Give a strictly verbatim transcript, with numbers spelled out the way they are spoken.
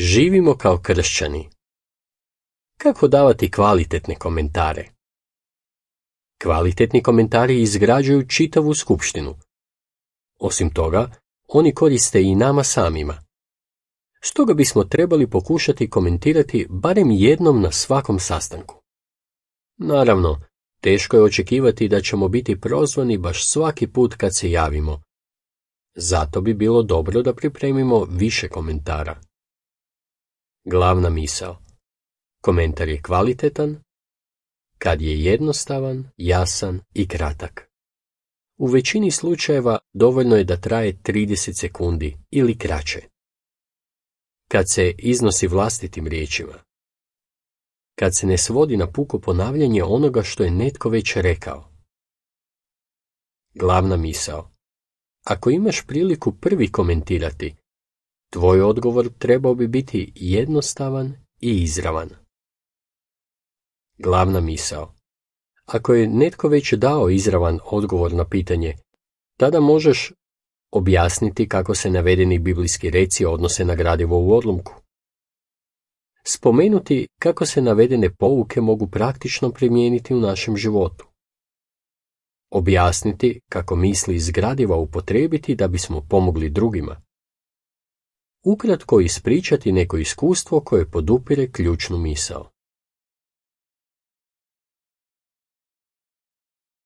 Živimo kao kršćani. Kako davati kvalitetne komentare? Kvalitetni komentari izgrađuju čitavu skupštinu. Osim toga, oni koriste i nama samima. Stoga bismo trebali pokušati komentirati barem jednom na svakom sastanku. Naravno, teško je očekivati da ćemo biti prozvani baš svaki put kad se javimo. Zato bi bilo dobro da pripremimo više komentara. Glavna misao. Komentar je kvalitetan kad je jednostavan, jasan i kratak. U većini slučajeva dovoljno je da traje trideset sekundi ili kraće. Kad se iznosi vlastitim riječima. Kad se ne svodi na puko ponavljanje onoga što je netko već rekao. Glavna misao. Ako imaš priliku prvi komentirati, tvoj odgovor trebao bi biti jednostavan i izravan. Glavna misao. Ako je netko već dao izravan odgovor na pitanje, tada možeš objasniti kako se navedeni biblijski reci odnose na gradivo u odlomku. Spomenuti kako se navedene pouke mogu praktično primijeniti u našem životu. Objasniti kako misli iz gradiva upotrijebiti da bismo pomogli drugima. Ukratko ispričati neko iskustvo koje podupire ključnu misao.